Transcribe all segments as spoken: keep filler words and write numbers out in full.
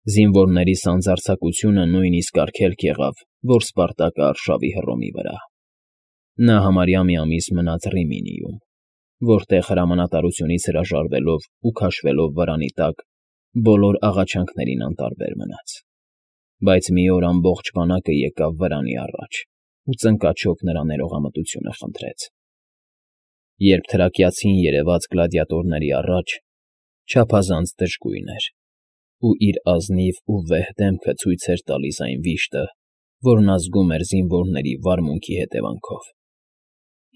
Զինվորների սանձարձակությունը նույնիսկ արգելք եղավ, որ Սպարտակը արշավի Հռոմի վրա։ Նա համարյա մի ամիս մնաց Ռիմինիում, որտեղ հրամանատարությունից հրաժարվելով ու քաշվելով վրանի տակ, բոլոր աղաչանքներին անտարբեր մնաց։ Բայց մի օր ամբողջ բանակը եկավ վրանի առաջ ու ծնկաչոք նրա ներողամտությունը խնդրեց։ Երբ թրակիացին երևաց գլադիատորների առաջ, չափազանց դժգույն էր ու իր ազնիվ ու վեհ դեմքը ցույց էր տալիս այն վիշտը, որն ազգում էր զինվորների վարմունքի հետևանքով։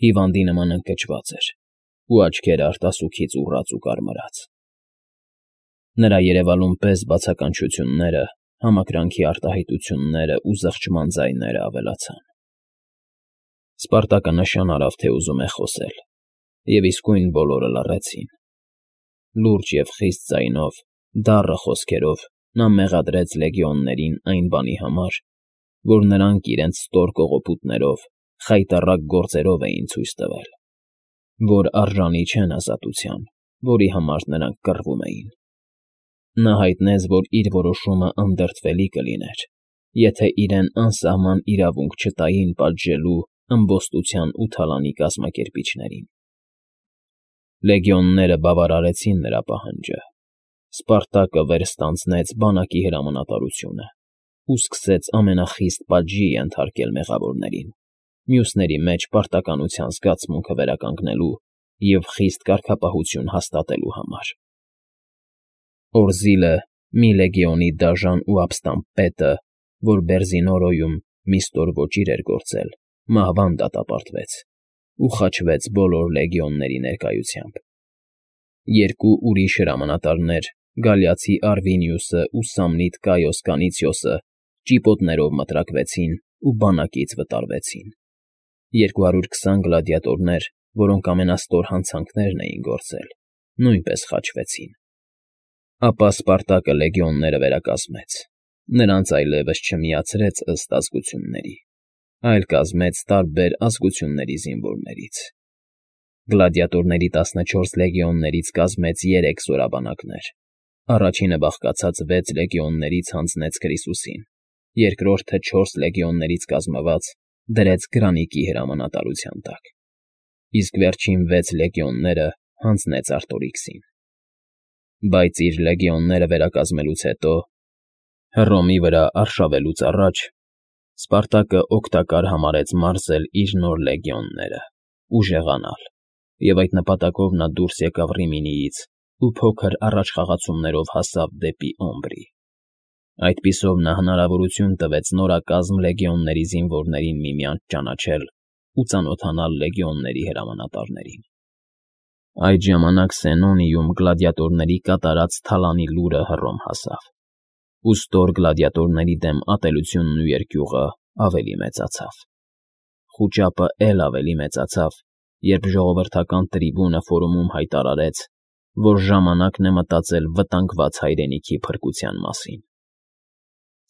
Հիվանդի նման ընկճված էր ու աչքերը արտասուքից ուռած ու կարմրած։ Նրա երևալուն պես բացականչությունները, համակրանքի արտահայտությունները ու զղջման ձայները ավելացան։ Սպարտակը նշան արավ, թե ուզում է խոսել, և իսկույն բոլորը լռեցին։ Լուրջ և խիստ ձայնով, դառը խոսքերով նա մեղադրեց լեգեոններին այն բանի համար, որ նրանք իրենց ստոր կողոպուտներով, խայտառակ գործերով էին ցույց տվել, որ արժանի չեն ազատության, որի համար նրանք կռվում էին։ Նա հայտնեց, որ իր որոշումը անդրդվելի կլիներ, եթե իրեն անսահման իրավունք չտային պատժելու ըմբոստության ու թալանի կազմակերպիչներին։ Լեգեոնները բավարարեցին նրա պահանջը։ Սպարտակը վեր ստանձնեց բանակի հրամանատարությունը ու սկսեց ամենախիստ պատժի ենթարկել մեղավորներին, մյուսների մեջ պարտականության զգացմունքը վերականգնելու և խիստ կարգապահություն հաստատելու համար։ Օրզիլը, մի լեգեոնի դաժան ու ապստամբ պետը, որ Բերզինորոյում մի ստոր ոճիր էր գործել, մահվան դատապարտվեց ու խաչվեց բոլոր լեգեոնների ներկայությամբ։ Երկու ուրիշ հրամանատարներ, գալիացի Արվինիուսն ու Սամնիտ Կայոս Կանիցիոսը, ճիպոտներով մտրակվեցին ու բանակից վտարվեցին։ Երկու հարյուր քսան գլադիատորներ, որոնք ամենաստոր հանցանքներն էին գործել, նույնպես խաչվեցին։ Ապա Սպարտակը լեգեոնները վերակազմեց, նրանց այլևս չմիացրեց ըստ ազգությունների, այլ կազմեց տարբեր ազգությունների զինվորներից։ Գլադիատորների տասնչորս լեգեոններից կազմեց երեք զորաբանակներ, առաջինը բաղկացած վեց լեգեոններից հանձնեց Քրիսուսին, երկրորդը չորս լեգեոններից կազմված դրեց Գրանիկի հրամանատարության տակ, իսկ վերջին վեց լեգեոնները հանձնեց Արտորիքսին։ Բայց իր լեգեոնները վերակազմելուց հետո, Հռոմի վրա արշավելուց առաջ, Սպարտակը օգտակար համարեց մարզել իր նոր լեգեոնները, ուժեղանալ, և այդ նպատակով նա դուրս եկավ Ռիմինիից ու փոքր առաջխաղացումներով հասավ դեպի Օմբրի։ Այդպիսով նա հնարավորություն տվեց նորակազմ լեգեոնների զինվորներին միմյանց ճանաչել ու ծանոթանալ լեգեոնների հրամանատարներին։ Այդ ժամանակ Սենոնիում գլադիատորների կատարած թալանի լուրը Հռոմ հասավ, ու ստոր գլադիատորների դեմ ատելությունն ու երկյուղը ավելի մեծացավ։ Խուճապը էլ ավելի մեծացավ, երբ ժողովրդական տրիբունը ֆորումում հայտարարեց, որ ժամանակն է մտածել վտանգված հայրենիքի փրկության մասին։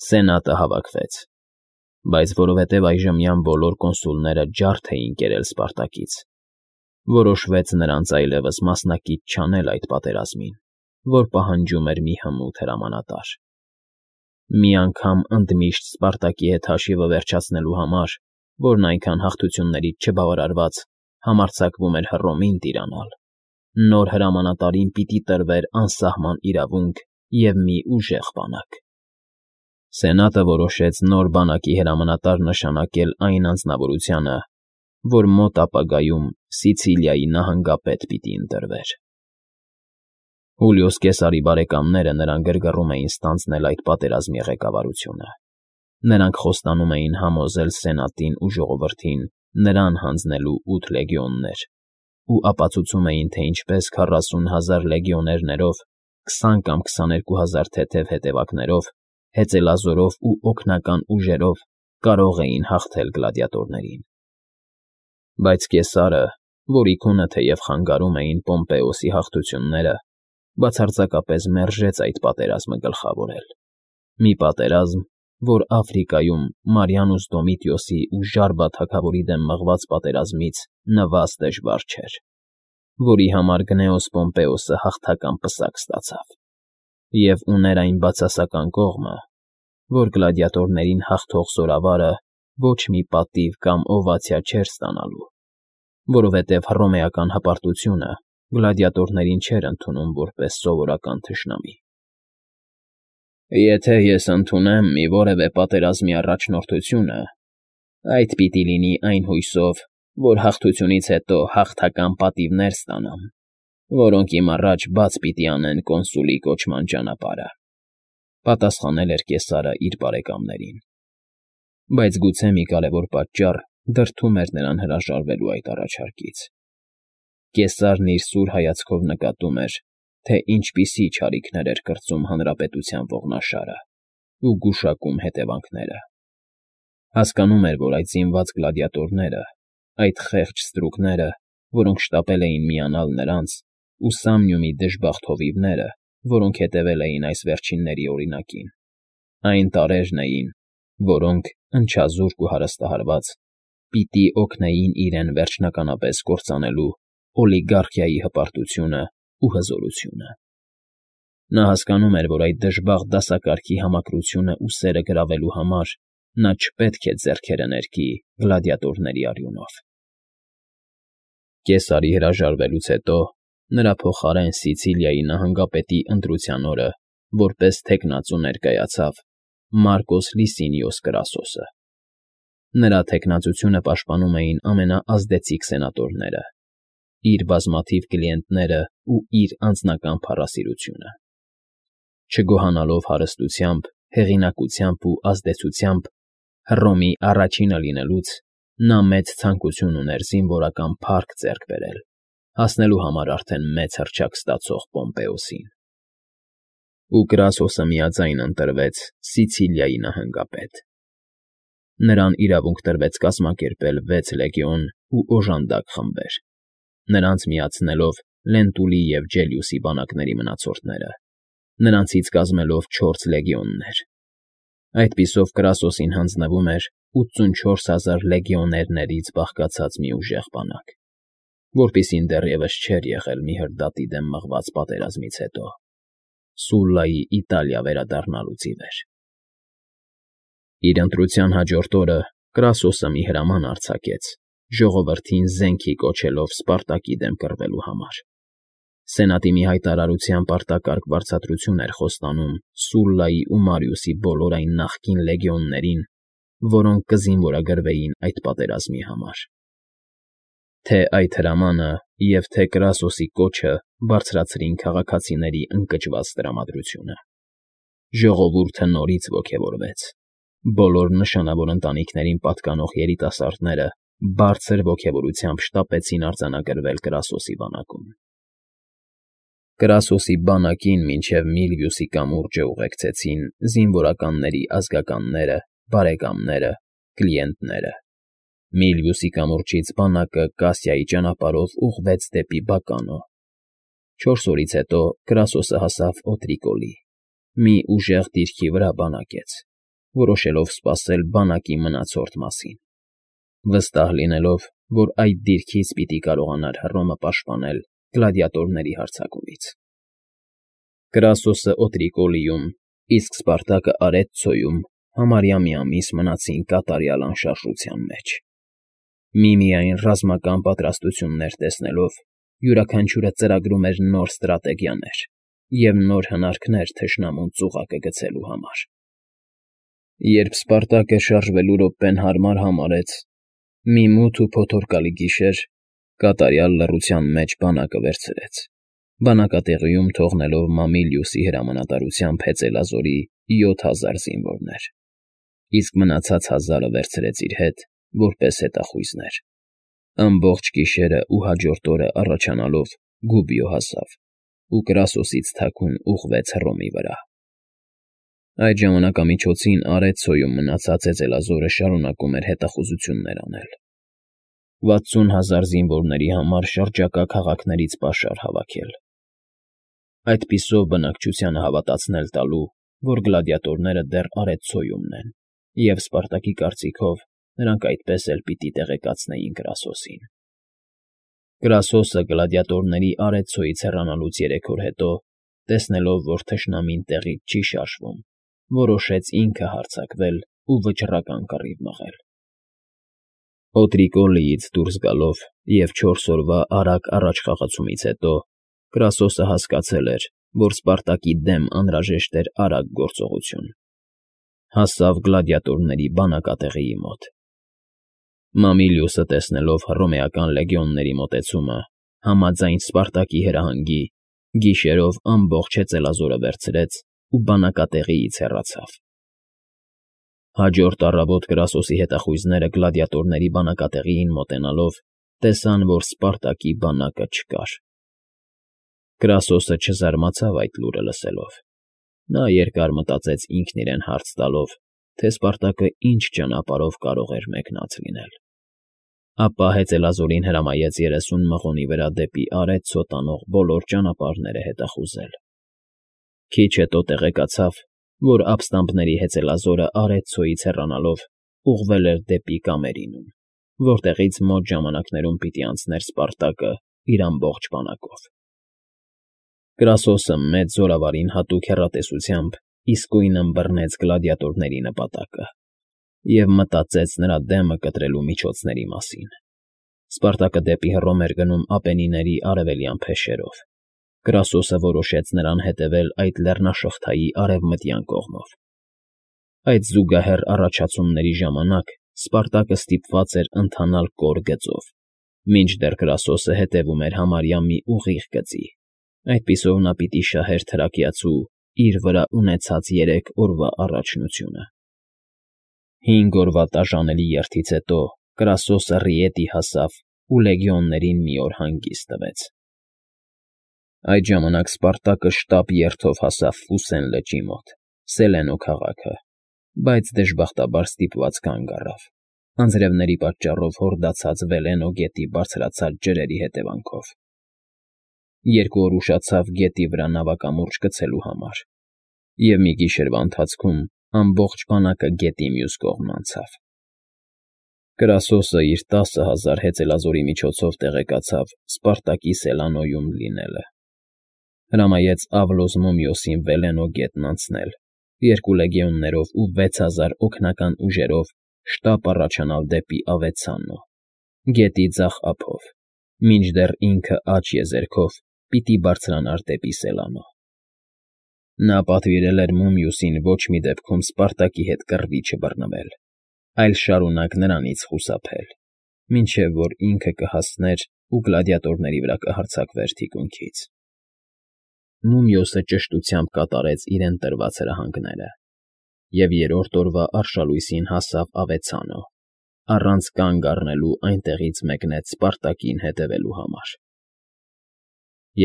Սենատը հավաքվեց, բայց որովհետև այժմյան բոլոր կոնսուլները ջարդ էին կերել Սպարտակից, որոշվեց նրանց այլևս մասնակից չանել այդ պատերազմին, որ պահանջում էր մի հմուտ հրամանատար։ Մի անգամ ընդմիշտ Սպարտակի հետ հաշիվը վերջացնելու համար, որն այնքան հաղթություններից չբավարարված համարձակվում էր Հռոմին տիրանալ, նոր հրամանատարին պիտի տրվեր անսահման իրավունք և մի ուժեղ բանակ։ Սենատը որոշեց նոր բանակի հրամանատար նշանակել այն անձնավորությանը, որ մոտ ապագայում Սիցիլիայի նահանգապետ պիտի ընտրվեր։ Հուլիոս Կեսարի բարեկամները նրան գրգռում էին ստանձնել այդ պատերազմի ղեկավարությունը։ Նրանք խոստանում էին համոզել Սենատին ու ժողովրդին նրան հանձնելու ութ լեգեոններ ու ապացուցում էին, թե ինչպես քառասուն հազար լեգեոներներով, քսան կամ քսաներկու հազար թեթև հետևակներով, հեծելազորով ու օգնական ուժերով կարող էին հաղթել գլադիատորներին։ Բայց Կեսարը, որի քունը թեև խանգարում էին Պոմպեոսի հաղթությունները, բացարձակապես մերժեց այդ պատերազմը գլխավորել։ Մի պատերազմ, որ Աֆրիկայում Մարիանուս Դոմիտիոսի ու Ժարբա թագավորի դեմ մղված պատերազմից նվազ դժվար չէր, որի համար Գնեոս Պոմպեոսը հաղթական պսակ ստացավ։ և ուներ այն բացասական կողմը, որ գլադիատորներին հաղթող զորավարը ոչ մի պատիվ կամ օվացիա չէր ստանալու, որովհետև հռոմեական հպարտությունը գլադիատորներին չէր ընդունում որպես սովորական թշնամի։ «Եթե ես ընդունեմ մի որևէ պատերազմի առաջնորդությունը, այդ պիտի լինի այն հույսով, որ հաղթությունից հետո հաղթական պատիվներ ստանամ, որոնք իմ առաջ բաց պիտի անեն կոնսուլի կոչման ճանապարհը», պատասխանել էր կեսարը իր բարեկամներին։ Բայց գուցե մի կարևոր պատճառ դրդում էր նրան հրաժարվելու այդ առաջարկից։ Կեսարն իր սուր հայացքով նկատում էր, թե ինչպիսի չարիքներ էր կրծում հանրապետության ողնաշարը ու գուշակում հետևանքները։ Հասկանում էր, որ այդ զինված գլադիատորները, այդ խեղճ ստրուկները, որոնք շտապել էին միանալ նրանց, ու Սամնիումի դժբախտ հովիվները, որոնք հետևել էին այս վերջինների օրինակին, այն տարրերն էին, որոնք, ընչազուրկ ու հարստահարված, պիտի օգնեին իրեն վերջնականապես կործանելու օլիգարխիայի հպարտությունն ու հզորությունը։ Նա հասկանում էր, որ այդ դժբախտ դասակարգի համակրությունն ու սերը գրավելու համար նա չպետք է ձեռքերը ներկի գլադիատորների արյունով։ Կեսարի հրաժարվելուց հետո նրա փոխարեն Սիցիլիայի նահանգապետի ընտրության օրը որպես թեկնածու ներկայացավ Մարկոս Լիսինիոս Կրասոսը։ Նրա թեկնածությունը պաշտպանում էին ամենաազդեցիկ սենատորները, իր բազմաթիվ կլիենտները ու իր անձնական փառասիրությունը։ Չգոհանալով հարստությամբ, հեղինակությամբ ու ազդեցությամբ Հռոմի առաջինը լինելուց, նա մեծ ցանկություն ուներ զինվորական փառք ձեռք բերել, հասնելու համար արդեն մեծ հռչակ ստացող Պոմպեոսին։ Ու Կրասոսը միաձայն ընտրվեց Սիցիլիայի նահանգապետ։ Նրան իրավունք տրվեց կազմակերպել վեց լեգիոն ու օժանդակ խմբեր, նրանց միացնելով Լենտուլի և Ջելիուսի բանակների մնացորդները, նրանցից կազմելով չորս լեգիոններ։ Այդպիսով Կրասոսին հանձնվում էր ութսունչորս հազար լեգիոներներից բաղկացած մի ուժեղ բանակ, որպիսին դեռևս չէր եղել մի հրդադի դեմ մղված պատերազմից հետո, Սուլլայի Իտալիա վերադառնալուց ի վեր։ Իր ընտրության հաջորդ օրը Կրասոսը մի հրաման արձակեց, ժողովրդին զենքի կոչելով Սպարտակի դեմ կռվելու համար։ Սենատի մի հայտարարությամբ արտակարգ վարձատրություն էր խոստանում Սուլլայի ու Մարիուսի բոլոր այն նախկին լեգիոններին, որոնք կզինվորագրվեին այդ պատերազմի համար։ Թե այդ հրամանը և թե Կրասոսի կոչը բարձրացրին քաղաքացիների ընկճված տրամադրությունը։ Ժողովուրդը նորից ոգևորվեց։ Բոլոր նշանավոր ընտանիքներին պատկանող երիտասարդները բարձր ոգևորությամբ շտապեցին արձանագրվել Կրասոսի բանակում։ Կրասոսի բանակին մինչև Միլվիուսի կամուրջը ուղեկցեցին զինվորականների ազգականները, բարեկամները, կլիենտները։ Միլվիուսի կամուրջից բանակը Կասիայի ճանապարհով ուղղվեց դեպի Բականո։ Չորս օրից հետո Կրասոսը հասավ Օտրիկոլի, մի ուժեղ դիրքի վրա բանակեց, որոշելով սպասել բանակի մնացորդ մասին, վստահ լինելով, որ այդ դիրքից պիտի կարողանար Հռոմը պաշտպանել գլադիատորների հարձակումից։ Կրասոսը Օտրիկոլիում, իսկ Սպարտակը Արեթցոյում համարյա մի ամիս մնացին կատարյալ անշարժության մեջ։ Միմիայն ռազմական պատրաստություններ տեսնելով, յուրաքանչյուրը ծրագրում էր նոր ստրատեգիաներ և նոր հնարքներ թշնամուն ծուղակը գցելու համար։ Երբ Սպարտակը շարժվելու րոպեն հարմար համարեց, մի մութ ու փոթորկալի գիշեր կատարյալ լռության մեջ բանակը վերցրեց, բանակատեղիում թողնելով Մամիլիուսի հրամանատարությամբ հեծելազորի յոթ հազար զինվորներ, իսկ մնացած հազարը վերցրեց իր հետ որպես հետախույզներ։ Ամբողջ գիշերն ու հաջորդ օրը առաջանալով Գուբիո հասավ ու Կրասոսից թաքուն ուղղվեց Հռոմի վրա։ Այդ ժամանակամիջոցին Արեթցոյում մնացած հեծելազորը շարունակում էր հետախուզություններ անել, վաթսուն հազար զինվորների համար շրջակա քաղաքներից պաշար հավաքել։ Այդպիսով բնակչությանը հավատացնել տալու, որ գլադիատորները դեռ Արեթցոյումն են, և Սպարտակի կարծիքով նրանք այդպես էլ պիտի տեղեկացնեին Կրասոսին։ Կրասոսը գլադիատորների Արեթցոյից հեռանալուց երեք օր հետո տեսնելով, որ թշնամին տեղից չի շարժվում, որոշեց ինքը հարձակվել ու վճռական կռիվ մղել։ Օտրիկոլիից դուրս գալով և չորս օրվա արագ առաջխաղացումից հետո Կրասոսը հասկացել էր, որ Սպարտակի դեմ անհրաժեշտ էր արագ գործողություն։ Հասավ գլադիատորների բանակատեղիի մոտ։ Մամիլիուսը, տեսնելով հռոմեական լեգիոնների մոտեցումը, համաձայն Սպարտակի հրահանգի, գիշերով ամբողջ հեծելազորը վերցրեց ու բանակատեղիից հեռացավ։ Հաջորդ առավոտ Կրասոսի հետախույզները գլադիատորների բանակատեղիին մոտենալով տեսան, որ Սպարտակի բանակը չկար։ Կրասոսը չզարմացավ այդ լուրը լսելով։ Նա երկար մտածեց ինքն իրեն հարց տալով, թե Սպարտակը ինչ ճանապարհով կարող էր մեկնած լինել։ Ապա հեծելազորին հրամայեց երեսուն մղոնի վրա դեպի արեց ցոտանող բոլոր ճանապարհները հետախուզել։ Քիչ հետո տեղեկացավ, որ ապստամբների հեծելազորը արեց ցոյից հեռանալով ուղղվել էր դեպի Կամերինում, որտեղից մոտ ժամանակներում պիտի անցներ Սպարտակը իր ամբողջ բանակով։ Կրասոսը մեծ զորավարին հատուկ հեռատեսությամբ իսկույն ըմբռնեց գլադիատորների նպատակը և մտածեց նրա դեմը կտրելու միջոցների մասին։ Սպարտակը դեպի Հռոմ էր գնում Ապենինների արևելյան փեշերով։ Կրասոսը որոշեց նրան հետևել այդ լեռնաշղթայի արևմտյան կողմով։ Այդ զուգահեռ առաջացումների ժամանակ Սպարտակը ստիպված էր ընթանալ կոր գծով, մինչդեռ Կրասոսը հետևում էր համարյա մի ուղիղ գծի։ Այդպիսով նա պիտի շահեր թրակիացու իր վրա ունեցած երեք օրվա առաջնությունը։ Հինգ օրվա տաժանելի երթից հետո Կրասոսը Ռիետի հասավ ու լեգիոններին մի օր հանգիստ տվեց։ Այդ ժամանակ Սպարտակը շտապ երթով հասավ Ֆուսեն լճի մոտ, Սելենո քաղաքը, բայց դժբախտաբար ստիպված կանգ առավ, անձրևների պատճառով հորդացած Վելենո գետի բարձրացած ջրերի հետևանքով։ Երկու օր ուշացավ գետի վրա նավակամուրջ գցելու համար, և մի գիշերվա ընթացքում ամբողջ բանակը գետի մյուս կողմն անցավ։ Կրասոսը իր տասը հազար հեծելազորի միջոցով տեղեկացավ Սպարտակի Սելանոյում լինելը։ Հրամայեց Ավլոս Մումիոսին Վելենո գետն անցնել, երկու լեգիոններով ու վեց հազար օգնական ուժերով շտապ առաջանալ դեպի Ավեցանո, գետի ձախ ափով, մինչդեռ ինքը աջ եզերքով պիտի բարձրանար դեպի Սելանո։ Նա պատվիրել էր Մումիուսին ոչ մի դեպքում Սպարտակի հետ կռվի չբռնվել, այլ շարունակ նրանից խուսափել, մինչև որ ինքը կհասներ ու գլադիատորների վրա կհարձակվեր թիկունքից։ Մումիոսը ճշտությամբ կատարեց իրեն տրված հրահանգները և երրորդ օրվա արշալույսին հասավ Ավեցանո, առանց կանգ առնելու այնտեղից մեկնեց Սպարտակին հետևելու համար։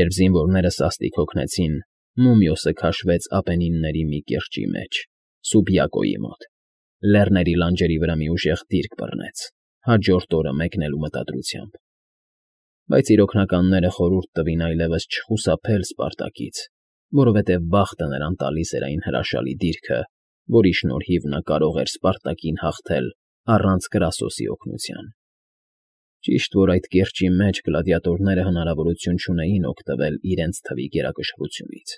Երբ զինվորները սաստիկ հոգնեցին, Մումիոսը քաշվեց Ապենինների մի կիրճի մեջ, Սուբիակոյի մոտ, լեռների լանջերի վրա մի ուժեղ դիրք բռնեց, հաջորդ օրը մեկնելու մտադրությամբ։ Բայց իր օգնականները խորհուրդ տվին այլևս չխուսափել Սպարտակից, որովհետև բախտը նրան տալիս էր այն հրաշալի դիրքը, որի շնորհիվ նա կարող էր Սպարտակին հաղթել առանց Կրասոսի օգնության։ Ճիշտ որ այդ կիրճի մեջ գլադիատորները հնարավորություն չունեին օգտվել իրենց թվի գերակշռությունից,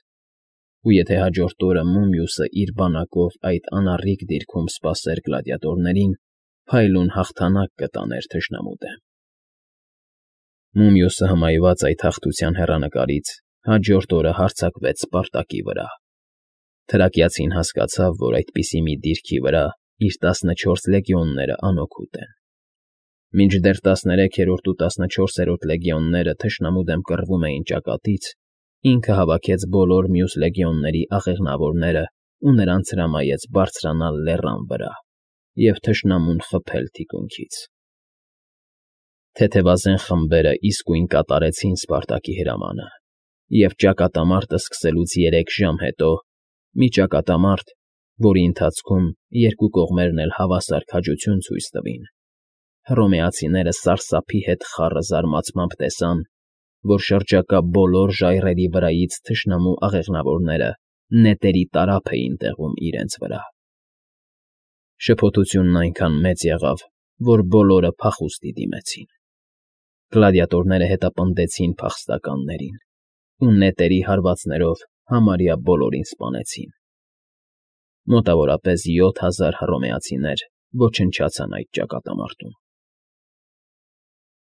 ու եթե հաջորդ օրը Մումիուսը իր բանակով այդ անառիկ դիրքում սպասեր գլադիատորներին, փայլուն հաղթանակ կտաներ թշնամու դեմ։ Մումիուսը հմայված այդ հաղթության հեռանկարից հաջորդ օրը հարձակվեց Սպարտակի վրա։ Թրակիացին հասկացավ, որ այդպիսի մի դիրքի վրա իր տասնչորս լեգիոնները անօգուտ են։ Մինչդեռ տասներեքերորդ ու տասնչորսերորդ լեգիոնները թշնամու դեմ կռվում էին ճակատից, ինքը հավաքեց բոլոր մյուս լեգիոնների աղեղնավորները ու նրանց հրամայեց բարձրանալ լեռան վրա և թշնամուն խփել թիկունքից։ Թեթևազեն խմբերը իսկույն կատարեցին Սպարտակի հրամանը, և ճակատամարտը սկսելուց երեք ժամ հետո մի ճակատամարտ, որի ընթացքում երկու կողմերն էլ հավասար քաջություն ցույց տվին, հռոմեացիները սարսափի հետ խառը զարմացմամբ տեսան, որ շրջակա բոլոր ժայռերի վրայից թշնամու աղեղնավորները նետերի տարափ էին տեղում իրենց վրա։ Շփոթությունն այնքան մեծ եղավ, որ բոլորը փախուստի դիմեցին։ Գլադիատորները հետապնդեցին փախստականներին ու նետերի հարվածներով Համարյա բոլորին սպանեցին։ Մոտավորապես յոթ հազար հռոմեացիներ ոչնչացան այդ ճակատամարտում։